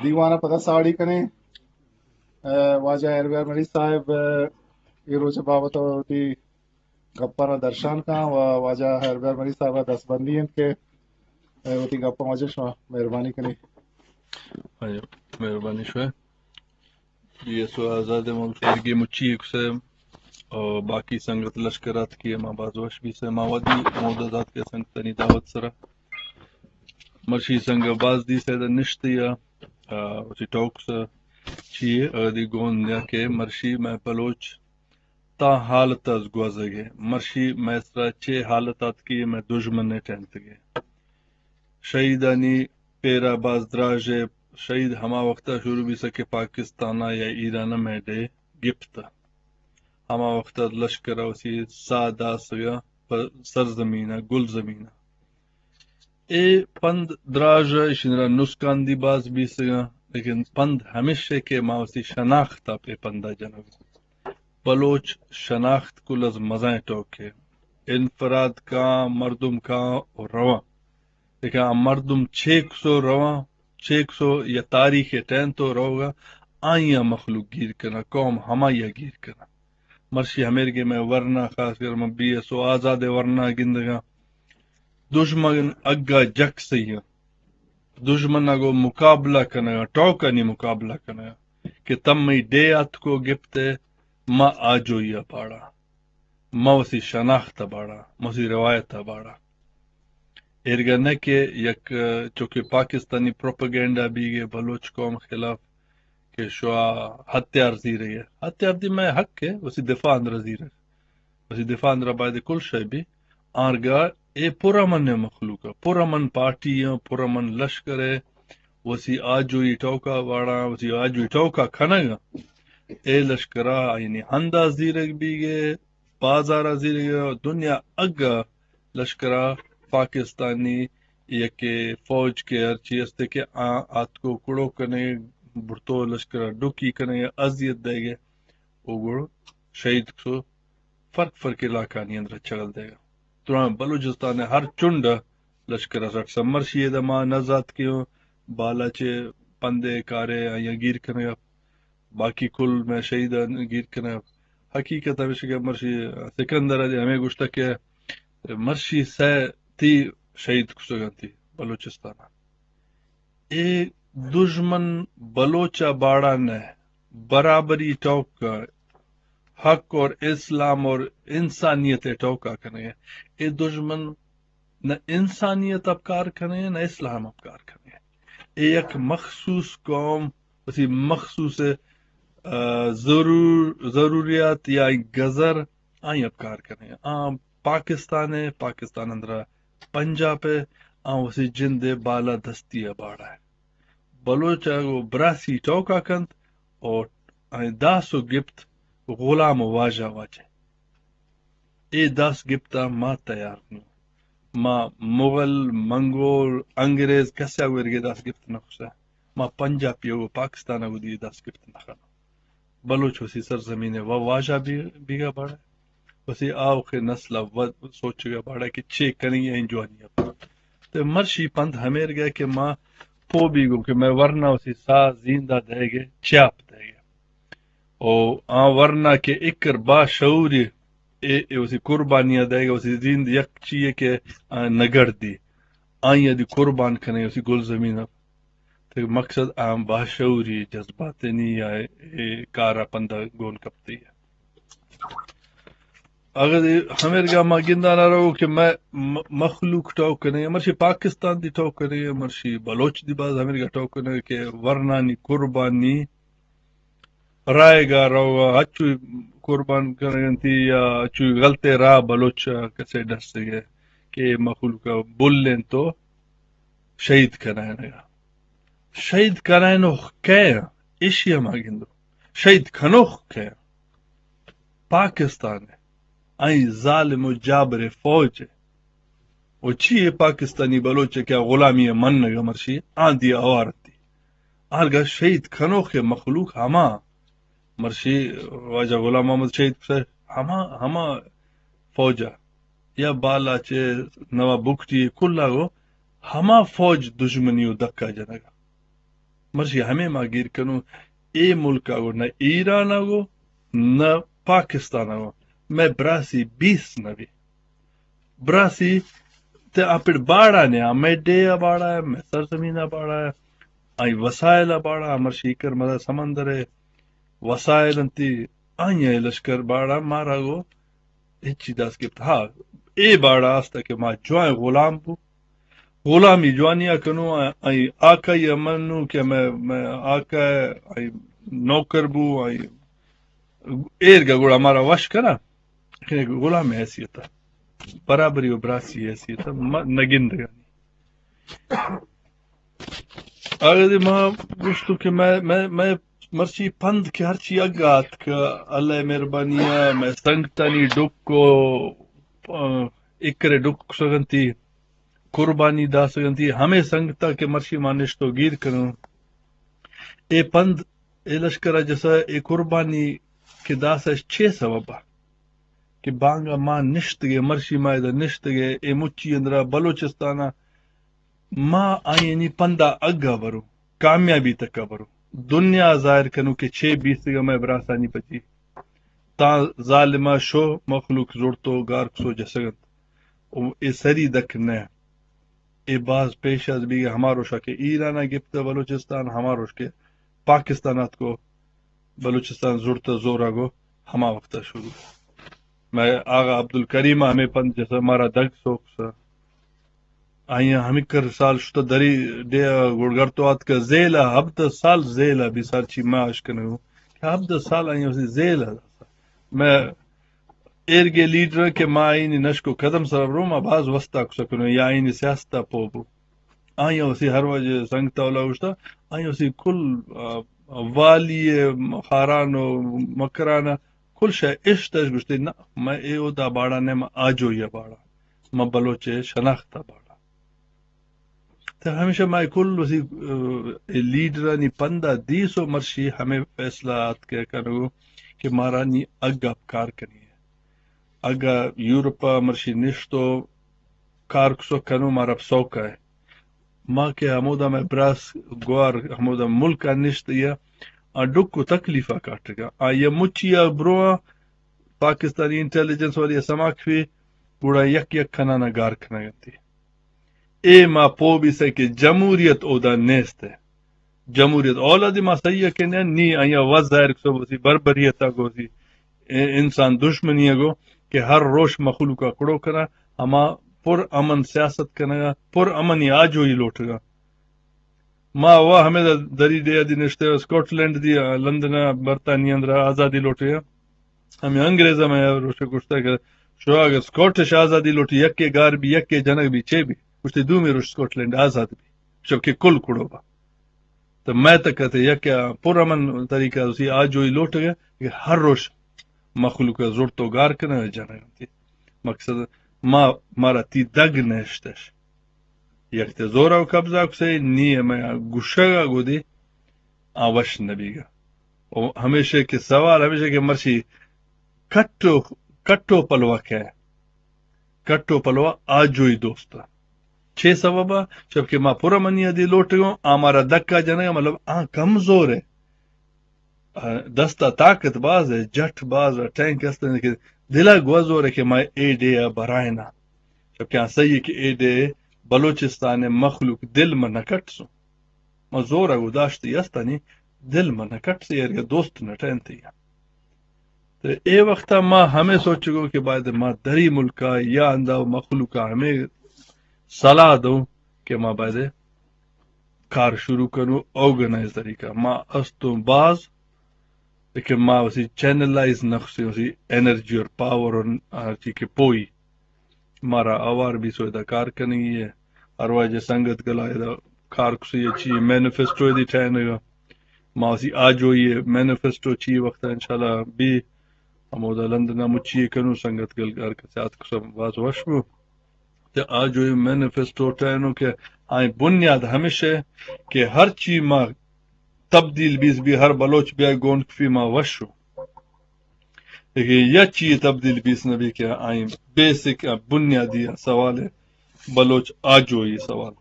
دیوان ءَ پدا ساڑی کنیں۔ اے، واجہ ہیربیار مری صاحب، اے، اے روچ ءِ بابت ءَ وتی گپاں را درشان کن و واجہ ہیربیار مری صاحب ءَ دستبندی انت کہ، اے، وتی گپاں واجہ شما مہربانی کنیں۔ ہاں، مہربانی شوئے۔ بی ایس او آزاد ءِ ملک ءِ مچی ایکسے او باقی سنگت لشکر ات کہ ما باز وش بیسے، ما ودی مودا دات کہ سنگتانی دعوت سرا مرشی سنگ باز دیسے دا نشتی ءَ، آ، وتی ٹوک سا چی اگدی گون یا کہ مرشی مئے بلوچ تا حالت از گوزگے، مرشی مئے سرا چے حالت ات کہ مئے دژمن ٹینتگے۔ شہیدانی پیرا باز دراج ءَ، شہید ہما وقت ءَ شروع بیسہ کہ پاکستان ءَ یا ایران ءَ مئے ڈیھ گپتہ۔ ہما وقت ءَ لشکر ءَ وسی ساہ داسگ ءَ پہ سرزمین ءَ، گلزمین ءَ۔ اے پند دراج ءَ، ایشی را نسکان دی باز بیسگ ءَ، لیکن پند ہمیش ءَ کہ ما وسی شناخت ءَ پہ پند ءَ جنگ۔ بلوچ شناخت کل از مزائیں ٹوکے۔ انفراد کاں، مردم کاں و رواں۔ لیکن آ مردم چیکسو رواں، چیکسو یا تاریخ ءِ ٹینتو روگا، آئی ءَ مخلوق گیر کناں، قوم ہمائی ءَ گیر کناں۔ مرشی ہمیرگے مئے ورنا، خاص کر من بی ایس او آزاد ءِ ورنا گندگاں۔ دژمن اگا جک سہی آں۔ دژمن ءَ گوں مقابلہ کنگا، ٹوکانی مقابلہ کنگا کہ تمئی ڈیھ اتکو گپتے، ما آجوئی ءَ پاڑا۔ ما وسی شناخت ءَ باڑا، ما وسی روایت ءَ باڑا۔ ایرگا نہ کہ یک چونکہ پاکستانی پروپیگنڈا بیگے بلوچ قوم خلاف کہ شوا ہتھیار زیرگے۔ ہتھیار دی مئے حق ہے، وسی دفاع اندرا زیرگ۔ وسی دفاع اندرا باید کل شے بی۔ آرگا اے پرامن مخلوق، پرامن پارٹی، پرامن لشکر ہے۔ وسی آجوئی ٹوکا باڑا، وسی آجوئی ٹوکا کھنگا۔ اے لشکرا یعنی ہندا زیرگ بیگے، بازار ءَ زیرگ ءَ، دنیا اگا لشکر ءَ پاکستانی یکے فوج کہ ہرچی است کہ آ آتکو کڑو کنے، برتو لشکر ءَ ڈکی کنے، اذیت دئیگ ءَ، او گڑ شہید کسو فرق فرق علاقانی اندر چگل دئیگ ءَ۔ تران بلوچستان ءِ ہر چنڈ ءَ لشکر ءَ سٹ سمرشی ءَ دما نزات کہ بالا چے پندے کارے آیاں گیر کنگ ءَ۔ باقی کل مئے شہیداں گیر کنگ ءَ۔ حقیقت ہمیش کہ مرشی سکندر ءَ ہمے گوشتگ کہ مرشی سئے تھی شہید کسگ انتی بلوچستان ءَ۔ اے دژمن بلوچ ءَ باڑا نہ، برابری ٹوک ءَ، حق اور اسلام اور انسانیت ءِ ٹوک ءَ کنگ ءَ۔ اے دژمن نہ انسانیت ءَ کار کنگ ءَ، نہ اسلام ءَ کار کنگ ءَ۔ اے یک مخصوص قوم، وتی مخصوص، آ، ضرور-، ضروریات یا گزر آئی ءَ کار کنگ ءَ۔ آ پاکستان ءَ، پاکستان اندرا پنجاب ءَ، آ وتی جند ءِ بالا دستی ءَ باڑا ءَ۔ بلوچ ءَ گوں براسی ٹوکا کنت اور آئی داس و گپت غلام و واجہ واجہ۔ اے داس گپت ءَ ما تیار نوں۔ ما مغل، منگول، انگریز کسے ءَ گوں ایرگے داس گپت نہ کشتہ۔ ما پنجابی ءَ گوں پاکستان ءَ گوں دی داس گپت نہ کناں۔ بلوچ وسی سرزمین ءِ و واجہ بی-، بیگا باڑا۔ وسی آوکیں نسل ءَ و سوچگا باڑا کہ چے کنگی ءَ جوانی ءَ۔ تے مرشی پند ہمیرگا کہ ما پو بیگوں کہ مئے ورنا وسی ساہ زیندا دئیگ ءَ، چیاپ دئیگ ءَ۔ او آ ورنا کہ اکر با شعوری اے، اے وسی قربانی ءَ دئیگ ءَ، وسی زند یک چیئے کہ آ نگڑ دی۔ آئی ءَ دی قربان کنے وسی گل زمین ءَ۔ تے مقصد آ باشعوری جذباتانی یا اے کار ءَ پندا گون کپتی۔ اگر ہمیرگا ما گندانا رو کہ مئے م-، مخلوق ٹوک کنے، مرشی پاکستان دی ٹوک کنے، مرشی بلوچ دی باز ہمیرگا ٹوک کنے کہ ورنانی قربانی رائگا روگا، ہچو قربان کنگنتی یا ہچو غلطے راہ بلوچ کسے ڈسگے کہ مخلوق بلین تو شہید کنائینگا۔ شہید کنائینوخ کئے آں؟ ایشی ہم گندو۔ شہید کنوخ کئے آں؟ پاکستان ءِ، آئی ظالم و جابر فوج ءِ۔ و چی اے پاکستانی بلوچ ءِ کہ غلامی ءِ منگ ءَ مرشی آں دی آوار تی۔ آرگا شہید کنوخ ءِ مخلوق ہما مرشی واجہ غلام محمد شہید کسے ہما، ہما فوج ءَ یا بالاچ ءِ نواب بگٹی کلا گو ہما فوج دژمنی و دکا جنگا۔ مرشی ہمے ما گیر کنوں، اے ملک ءَ گو نہ ایران ءَ گو نہ پاکستان ءَ گو مئے براسی بیس نہ بی۔ براسی تے آ پڑ باڑا نے، آ مئے ڈیھ ءَ باڑا ہے، مئے سرزمین ءَ باڑا ہے، آئی وسائل ءَ باڑا، مرشی کر مزا سمندر ہے، وسائل انتی، آئی لشکر باڑا مارا گو ہچی دست گپت۔ ہاں، اے باڑا است کہ ما جوائیں غلام بو، غلامی جوانی ءَ کنوں، آئی آکائی ءَ منوں کہ میں، میں آکا آئی نوکر بو، آئی ایر گا گڑا مارا وش کرا، لیکن ایک غلام حیثیت ءَ، برابری و براسی حیثیت ءَ ما نگندگانی۔ اگہ دے ما گوشتو کہ میں، میں، میں مرچی پند کہ ہرچی اگا اتک، اللہ مہربانی ءَ، میں سنگتانی ڈک و، آ، اکرے ڈک سگنتی، قربانی داسگنتی، ہمے سنگتا کہ مرچی ما نشتو گیر کنوں۔ اے پند، اے لشکر ءَ جسا، اے قربانی کہ داسا چے سبب ءَ؟ کہ بانگا ما نشتگے، مرشی ما ادا نشتگے، اے مچی اندرا بلوچستان ءَ ما آئینی پندا اگا برو، کامیابی تکا برو، دنیا ظاہر کنو کہ چے بیستگا مئے براسانی پچی۔ تاں ظالما شو مخلوق زڑتو گار کسو جسگنت۔ او اے سری دک نہ۔ اے باز پیش از بیگہ ہما روشا کہ ایران ءَ گپتہ بلوچستان، ہما روش کہ پاکستان اتکو بلوچستان زڑتہ زورا گو ہما وقتا شروع۔ میں آغا عبدالکریم ءَ ہمے پند جسا مارا دگ سوکسا۔ آئی ہمکر سال شتہ دری ڈیھ گڑگرتو آتکہ زیلا، ہبدہ سال زیلا بی سال چی ما اشکنگو کہ ہبدہ سال آئی اسی زیلا۔ میں ایرگے لیڈر کہ ما آئینی نشکو قدم سرا برو، ما باز وستا کسا کنو یا آئینی سیاستا پو بو۔ آئی اسی ہر وجہ سنگتا اولا گوشتا، آئی اسی کل، آ، والی خاران و مکران کل شے اشتش گوشتے، نہ، میں اے اودا باڑا نہ، میں آجوئی باڑا، میں بلوچ شناختا باڑا۔ تو ہمیشہ ما کل وسی، آ، اے لیڈرانی پندا دیس و مرشی ہمیں فیصلہ آت کہ کنگو کہ مارا نی اگا کار کنی ہے۔ اگا یورپا مرشی نشتو کار کسو کنو مارا سوکا ہے۔ ما کہ ہمودا میں براس گوار ہمودا ملکا نشت یا آ ڈکو تکلیفا کاٹگا۔ آ یا مچی آ برو آ پاکستانی انٹیلیجنس والی سما کفی گڑا یک یک کنانا گار کنگنتی۔ اے ما پو بیسہ کہ جمہوریت اودا نیست ہے۔ جمہوریت اولادی ما صحیح ہے کہ نہ، نی آیا وز ظاہر کسو بسی بربریتا گوسی اے انسان دشمنی گو کہ ہر روش مخلوقا کڑو کنا، ہما پر امن سیاست کنگا، پر امنی آجوئی لوٹگا۔ ما وا ہمیں دری ڈیھ دی نشتے، اسکاٹ لینڈ دی، لندن، برطانیہ اندر آزادی لوٹے۔ ہمیں انگریز ہمیں روشے گوشتا کہ شو اگر اسکاٹش آزادی لوٹی، یکے گار بی، یکے جنگ بی، چے بی؟ گوشتے دومی روش اسکاٹ لینڈ آزاد بی، شب کہ کل کڑو با۔ تو میں تک کہتے یک پر امن طریقہ اسی آجوئی لوٹ گئے کہ ہر روش مخلوق زورتو گار کنگا جنگ انتی۔ مقصد ما، مارا تی دگ نشتش۔ یک تے زورا و قبضہ کسے، نی میں گشگا گودی آ وش نبیگا۔ و ہمیشہ کہ سوال ہمیشہ کہ مرشی کٹو، کٹو پلوا کہ، کٹو پلوا آجوئی دوستا۔ چے سببا؟ چب کہ ما پورا منی دی لوٹگوں، آ مارا دکا جنگا، مطلب آ کمزور ہے۔ آ، دستا طاقت باز ہے، جٹ باز ہے، ٹینک است ہے کہ دلا گوزور ہے کہ ما اے ڈیھ برائنا۔ چب کہ آ صحیح کہ اے ڈیھ بلوچستان مخلوق دل ما نکٹ سو۔ ما زور گو داشتی استانی دل ما نکٹ سی، ایرگا دوست نٹینتی۔ تو اے وقتا ما ہمیں سوچگو کہ باید ما دری ملکا یا اندا مخلوقا ہمیں صلاح دوں کہ ما باید کار شروع کنو آرگنائز طریقہ۔ ما استوں باز، لیکن ما اسی چینلائز نہ کسی، اسی انرجی اور پاور اور ہر چی کہ پوئی۔ مارا آوار بی سو ادا کار کنگی ہے۔ ہر واجہ سنگت گلا ادا کار کسی اچھی مینیفیسٹو دی ٹھہرنے گا۔ ما اسی آجوئی مینیفیسٹو چی وقت انشاءاللہ بی ہمودا لندن مچی کنو سنگت گل ہر کسے آت کسا باز وش بو۔ تے آجوئی مینیفیسٹو ٹہینو کہ آئی بنیاد ہمیشہ کہ ہر چی ما تبدیل بیس بی ہر بلوچ بیا گون کفی ما وشو۔ لیکن یا چی تبدیل بیس نبی کہ آئی بیسک بنیادی سوال ہے بلوچ آجوئی سوال۔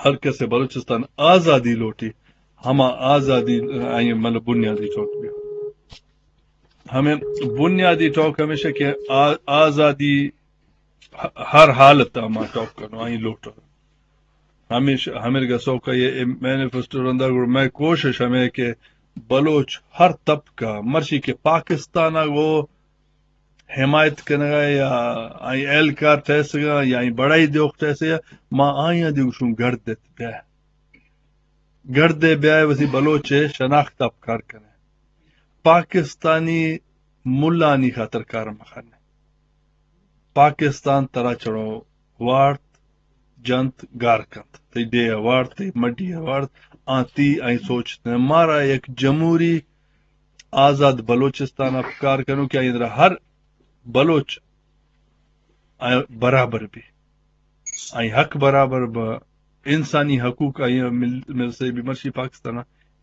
ہر کسے بلوچستان آزادی لوٹی، ہما آزادی آئی مطلب بنیادی ٹوک بی۔ ہمیں بنیادی ٹوک ہمیشہ کہ آ-، آزادی ہ-، ہر حالت ما ٹوک کنو، آئی لوٹو۔ ہمیش-، ہمرگا سوکا یہ مینیفیسٹو رندا گڑ میں کوشش ہمیں کہ بلوچ ہر طبقہ مرشی کہ پاکستان گو حمایت کنگا یا آئی اہلکار ٹیسگا یا آئی بڑائی دیوخ ٹیسگا، ما آئیاں دی گوشوں گڑد دیت بیا۔ گڑد دے بیا وسی بلوچ شناخت اپکار کنے۔ پاکستانی ملانی خاطر کار مخنے۔ پاکستان ترا چڑو وارت، جنت، گار کنت۔ تئی ڈیہ وارت، تئی مڈی وارت، آ تی آئی سوچ نے۔ مارا یک جمہوری آزاد بلوچستان اپکار کنو کہ آئی اندرا ہر بلوچ آئی برابر بی، آئی حق برابر با، انسانی حقوق آئی مل-، مل سے بی۔ مرشی پاکستان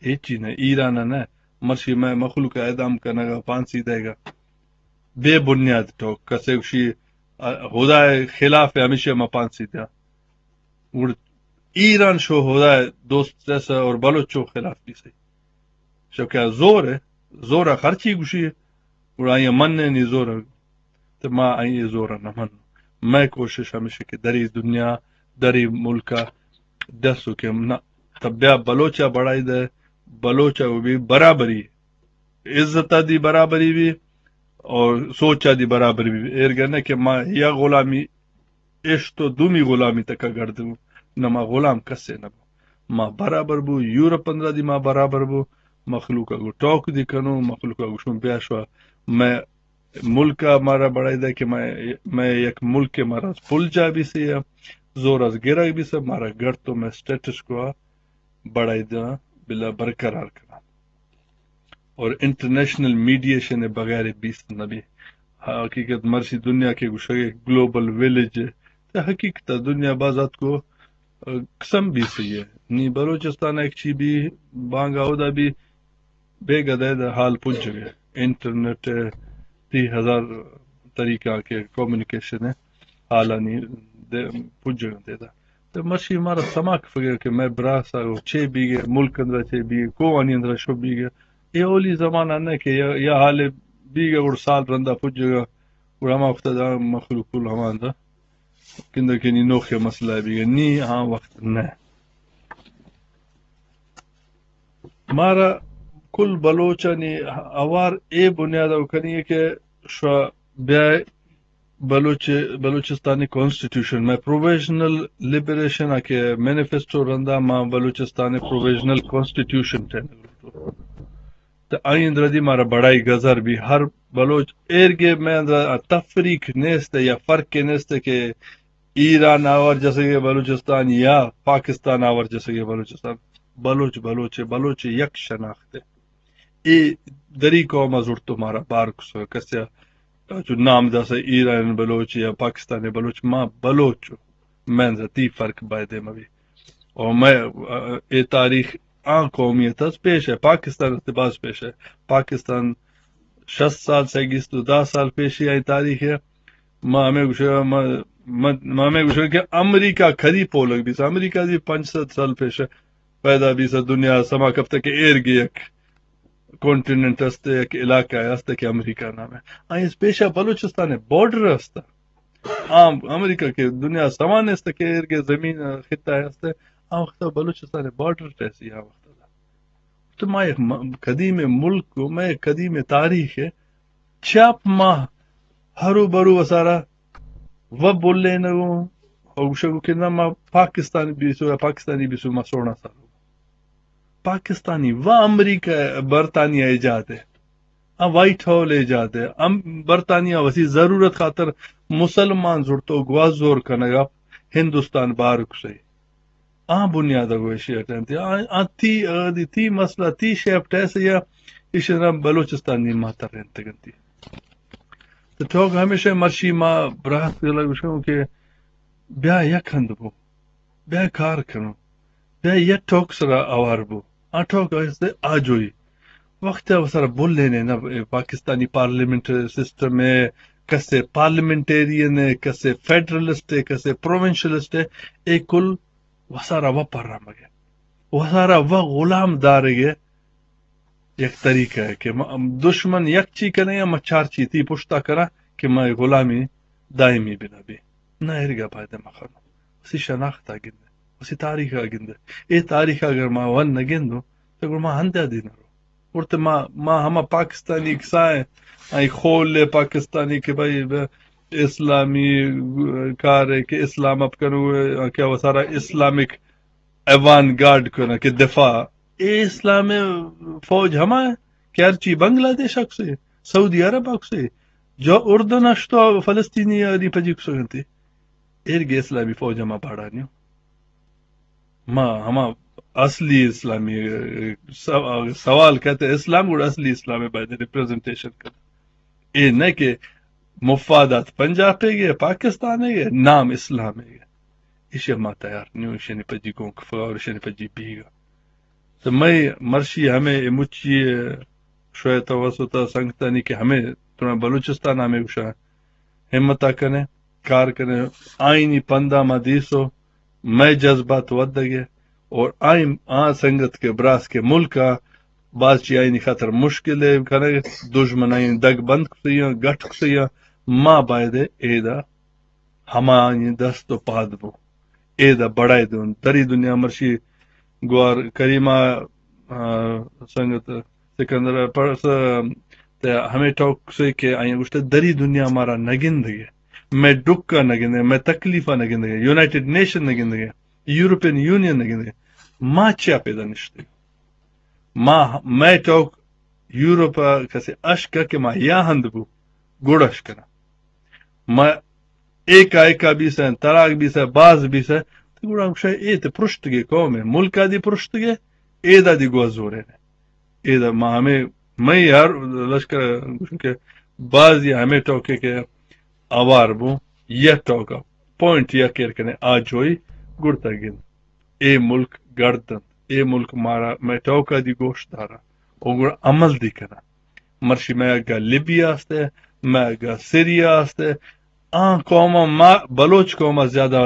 ہیچی نہ، ایران نہ، مرشی میں مخلوق اعدام کنگا، پانسی دے گا۔ بے بنیاد ٹوک، کسے گوشی، آ، خدا خلاف ہے، ہمیشہ ما پانسی دیا۔ گڑ ایران شو خدا دوست جیسا اور بلوچ شو خلاف بھی صحیح۔ شو کیا زور ہے؟ زور ہے، خرچی گوشی ہے۔ گڑا آئی من نے نی زور ہے۔ تو ما آئی زور نہ من۔ میں کوشش ہمیشہ کہ دری دنیا، دری ملک دسو کہ نہ، تب بیا بلوچا بڑائی دے، بلوچا وہ بھی برابری، عزت دی برابری بھی اور سوچا دی برابری بھی۔ ایر گنے کہ ما یا غلامی اشتو دومی غلامی تکا گردو، نہ ما غلام کسے نہ بو۔ ما برابر بو، یورپ اندرا دی ما برابر بو، مخلوق گو ٹوک دی کنو، مخلوق گو شون بیا شوا۔ میں ملک مارا بڑائی دے کہ میں، میں یک ملک مارا پل جا بھی سی، زور از گرگ بھی سی، مارا گڑ تو میں سٹیٹس کو بڑائی داں، بلا برقرار کناں۔ اور انٹرنیشنل میڈیشن بغیر بیست نبی۔ حقیقت مرشی دنیا کے گوشگے گلوبل ویلیج ہے۔ تو حقیقت دنیا بازات کو، آ، قسم بھی صحیح ہے۔ نی بلوچستان ایک چی بھی بانگا ہودا بھی بے گدے دا حال پجگے۔ انٹرنیٹ ہے، تی ہزار طریقہ کے کمیونیکیشن ہے۔ حالانی دے پجگے دے دا۔ تو مرشی مارا سما کفگے کہ میں براسا گو چے بیگے، ملک اندرا چے بیگے، کوانی اندرا شو بیگے۔ اے اولی زمانہ نہ کہ یا، یا حالے بیگے گڑ سال رندا پجگا، گڑ ہما وقت دا مخلوق کل ہما دا کندہ کہ نی نوخے مسئلہ بیگے، نی ہاں وقت نہ۔ مارا کل بلوچانی اوار اے بنیاد او کنی کہ شو بیا بلوچ، بلوچستانی کانسٹیٹیوشن، میں پروویژنل لبریشن آ کہ مینیفیسٹو رندا ما بلوچستانی پروویژنل کانسٹیٹیوشن ٹینگ لوٹو۔ تو آئی اندرا دی مارا بڑائی گزر بھی ہر بلوچ ایرگے میں اندرا تفریق نیست یا فرق نیست کہ ایران آور جسگے بلوچستان یا پاکستان آور جسگے بلوچستان۔ بلوچ بلوچ، بلوچ یک شناخت ہے۔ اے دری قوم زرتو مارا بار کسو کسیا جو نام داسا ایران بلوچ یا پاکستانی بلوچ، ما بلوچ، میں ذاتی فرق بایدے مبی۔ اور میں، اے تاریخ آن قومیت اس پیش ہے، پاکستان اس باز پیش ہے۔ پاکستان شست سال سے گیست و دہ سال پیشی آئی تاریخ ہے۔ ما ہمیں گوشے، ما، ما، ما ہمیں گوشے کہ امریکہ کدی پولگ بیس، امریکہ دی پنچ سد سال پیش پیدا بیس، دنیا سما کپتے کہ ایر گی یک کانٹیننٹ است، یک علاقہ است کہ امریکہ نام ہے۔ آئی اس پیشا بلوچستان بارڈر است۔ عام امریکہ کے دنیا سما نیست کہ ایر گی زمین خطہ است۔ آ وقت بلوچستان بارڈر ٹیسی آ وقت۔ تو ما یک م-، قدیم ملک کو، ما یک قدیم تاریخ ہے۔ چاپ ما ہرو برو وسارا و بولے نگو، او گوشگو کہ نہ ما پاکستانی بیسو یا پاکستانی بیسو ما سونا سالو۔ پاکستانی و امریکہ، برطانیہ ایجاد ہے۔ آ وائٹ ہال ایجاد ہے۔ ام-، برطانیہ وسی ضرورت خاطر مسلمان زرتو گواز زور کنگا ہندوستان بار کسے۔ آ بنیاد گو ایشی اٹینتی۔ آ، آ تی، آ دی تی مسئلہ، تی شیپ ٹیسے یا ایشی را بلوچستان نی ماتر رہنتے گنتی۔ تو ٹوک ہمیشہ مرشی ما براہت گلا گوشوں کہ بیا یک ہند بو، بیا کار کنو، بیا یک ٹوک سرا آوار بو۔ آ ٹوک است آجوئی۔ وقت ء سر بولے نے نہ، پاکستانی پارلیمنٹ سسٹم ہے، کسے پارلیمنٹیرین ہے، کسے فیڈرلسٹ ہے، کسے پروونشلسٹ ہے، اے کل وسارا وپر رمگے۔ وسارا و غلام دارگ ءِ یک طریقہ ہے کہ ما، دشمن یک چی کنے یا ما چار چی تی پشتا کرا کہ ما غلامی دائمی بنا بی۔ نہ، ایرگا باید ما خانو، اسی شناخت آ گندے، اسی تاریخ آ گندے۔ اے تاریخ اگر ما ون نہ گندو، تو گڑا ما ہندے دی نہ رو۔ اور تو ما، ما ہما پاکستانی کسائیں، آئی خول پاکستانی کہ بھائی اسلامی کار ہے کہ اسلام اپ کرو، کہ وہ سارا اسلامک ایوان گارڈ کناں کہ دفاع، اے اسلام فوج ہما ہے کہ ہرچی بنگلہ دیش اکسے، سعودی عرب اکسے، جو اردن اشتو فلسطینی آنی پجی کسگنتی۔ ایرگے اسلامی فوج ہما پاڑانی ہو۔ ما ہما اصلی اسلامی، سو-، سوال کہتے اسلام گڑا اصلی اسلام ہے باید ریپریزنٹیشن کر۔ اے نہ کہ مفادات پنجاب گے، پاکستان گے، نام اسلام گے۔ ایشی ما تیار نیو، ایشی پجی گون کفگا اور ایشی پجی بیگا۔ تو میں مرشی ہمیں اے مچی شوئے توسط سنگتانی کہ ہمیں تمہیں بلوچستان ہمیں گوشا ہمتا کنے، کار کنے، آئینی پندا ما دیسو، مئے جذبات ودگے اور آئین آ سنگت کے براس کے ملکا باز چی آئینی خاطر مشکل ہے کنے، دشمن آئین دگ بند کسیاں، گٹ کسیاں، ما بایدے ایدا ہمانی دست و پاد بو۔ ایدا بڑائی دون۔ دری دنیا مرشی گوار کریمہ، آ، سنگت سکندر پرس، تے ہمیں ٹوک سے کہ آئیں گوشتے دری دنیا مارا نگندگے۔ میں ڈکا نگندگے، میں تکلیفا نگندگے، یونائیٹڈ نیشن نگندگے، یورپین یونین نگندگے۔ ما چیا پیدا نشتے؟ ما، میں ٹوک یورپ ء کسے اشکہ کہ ما یا ہند بو، گڑ اشکناں۔ ما ایکا ایکا بیسہ، تراک بیسہ، باز بیسہ، تو گڑا گوشہ اے تے پرشتگے قوم ہے، ملکا دی پرشتگے، ایدا دی گوزورے نے۔ ایدا ما ہمیں، میں ہر لشکر گوشن کہ بازی ہمیں ٹوکے کہ آوار بو، یہ ٹوکا، پوائنٹ یا کیر کنے آجوئی گڑتا گند۔ اے ملک گڑد انت، اے ملک مارا مئے ٹوکا دی گوش دارا، او گڑا عمل دی کنا۔ مرشی مئے اگا لیبیا است، مئے اگا سیریا است، آ قوم ما بلوچ قوم زیادہ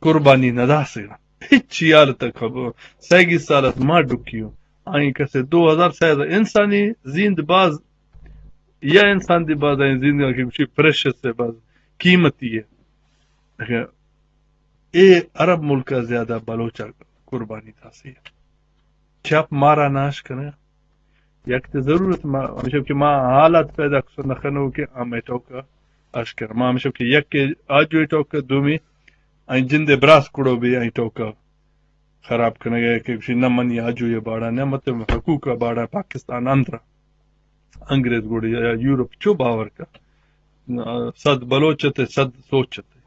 قربانی نہ داسگا۔ ہچ حالت خبر، سیگی سالت ما ڈکیو۔ آئیں کسے دو ہزار سیزدہ انسانی زیند باز، یا انسان دی باز آئیں زیند کہ گوشی پریشس ہے، باز قیمتی ہے۔ لیکن اے عرب ملک ء زیادہ بلوچ ء قربانی داسی۔ چپ مارا ناش کنگ۔ یک تے ضرورت ما، ہمیشہ کہ ما حالات پیدا کسو نہ کنو کہ ہمیں ٹوکا اش کر۔ ما ہمیشہ کہ یک آجوئی ٹوکا، دومی آئی جندے براس کڑو بھی آئی ٹوکا خراب کنگ ء کہ گوشی نہ منی آجوئی ء باڑا نہ مت حقوق ء باڑا پاکستان اندر انگریز گوڑی یا یورپ چو باور کا۔ صد بلوچ تے صد سوچ تے۔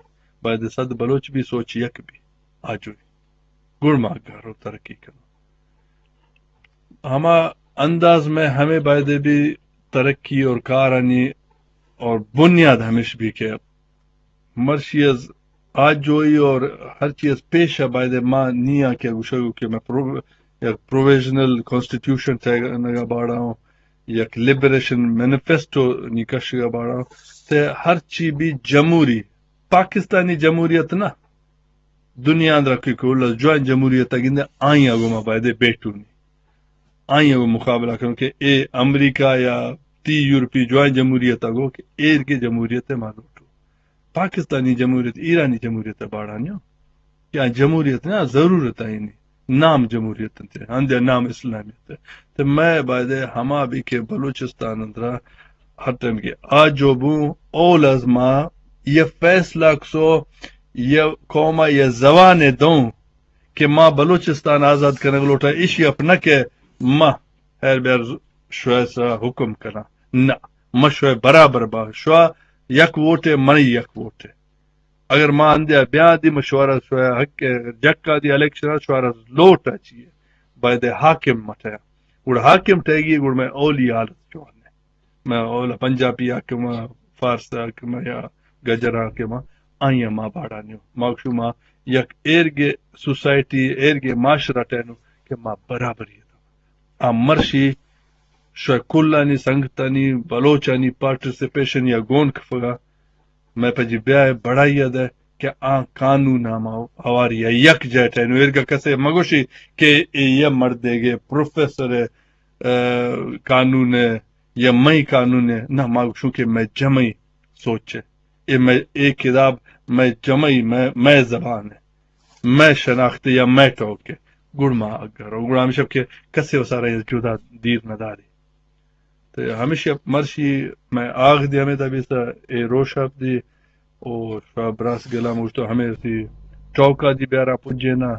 باید صد بلوچ بھی سوچ یک بھی آجوئی۔ گڑ ما گھرو ترقی کنو۔ ہما انداز میں ہمیں باید بھی ترقی اور کارانی اور بنیاد ہمیش بھی کہ مرشی از آجوئی اور ہر چیز پیش ہے، باید ما نیا کہ گوشگو کہ میں پرو-، یک پروویژنل کانسٹیٹیوشن تیگا باڑا ہوں، یک لبریشن مینیفیسٹو نی کشگا باڑا ہوں۔ تے ہر چی بھی جمہوری، پاکستانی جمہوریت نہ، دنیا اندر کوئی کول جوائن جمہوریت گندے آئی گو ما باید بیٹونی۔ آئی ء مقابلہ کنوں کہ اے امریکہ یا تی یورپی جوائیں جمہوریت ء گو کہ ایر کے جمہوریت ء ما لوٹو۔ پاکستانی جمہوریت، ایرانی جمہوریت ء باڑا نیو۔ یا جمہوریت نا ضرورت ہے نہیں۔ نام جمہوریت انت، ہندے نام اسلامیت ہے۔ تو میں باید ہما بھی کہ بلوچستان اندرا ہر ٹائم کے آ جو بوں اول از ما یہ فیصلہ کسو یہ قوم یہ زبان دوں کہ ما بلوچستان آزاد کنگ لوٹا، ایشی اپ نہ کہ ما ہر بیر شوئے سرا حکم کناں۔ نہ، ما شوئے برابر با، شوا یک ووٹے، منی یک ووٹے۔ اگر ما اندیا بیا دی مشورہ شوئے حق جکا دی الیکشن شوارا لوٹا چیئے، باید حاکم مٹیا۔ گڑ حاکم ٹھیگی گڑ میں اولی حالت جوانے۔ میں اولا پنجابی حاکم، فارس حاکم یا گجر حاکم، آئی ما باڑا نیو۔ ما شما یک ایرگے سوسائٹی، ایرگے معاشرہ ٹینو کہ ما برابری دا۔ آ مرشی شوئے کلانی سنگتانی، بلوچانی پارٹیسپیشن یا گون کفگا، میں پجی بیائے بڑائی دے کہ آ قانون ہما ہواری یک جیٹ ہے۔ نو ایرگا کسے مگوشی کہ اے یہ مردے گے پروفیسر، آ، قانون ہے یا مئی قانون ہے، نہ، ما گوشوں کہ مئی جمعی سوچ ہے۔ اے مئی، اے کتاب مئی جمعی، مئی، مئی زبان ہے، مئی شناخت یا مئی ٹوک ہے۔ گڑ ما اگر، گڑ ہمیشہ کہ کسے و سارا جدا دیر نہ داری۔ تو ہمیشہ مرشی مئی آغ دی ہمیں تبی سا اے روشاپ دی او شاہ براس گلام گوشتو ہمیں سی چوکا دی بیارا پجینا،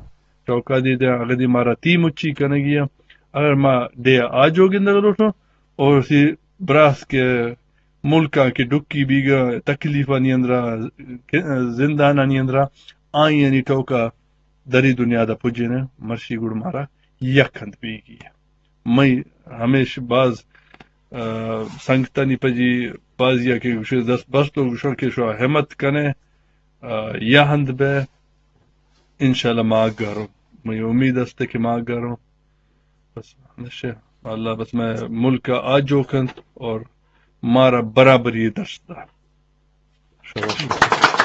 چوکا دی دے اگر دی مارا تی مچی کنگی ہے۔ اگر ما دے آجو گندگ لوٹو، اور سی براس کے ملکاں کے ڈکی بیگا تکلیفانی اندرا، زندانانی اندرا، آئی یعنی ٹوکا دری دنیا دا پجینے، مرشی گڑ مارا یک ہند بیگی ہے۔ مئی ہمیش باز، آ، سنگتانی پجی بازیا کہ گوشے دست بست و گوشن کہ شو ہمت کنے، آ، یا ہند بے، انشاءاللہ ما گروں۔ مئی امید است کہ ما گروں۔ بس نشے، اللہ بس مئی ملک آجو کنت اور مارا برابری دست دا۔ شاباش۔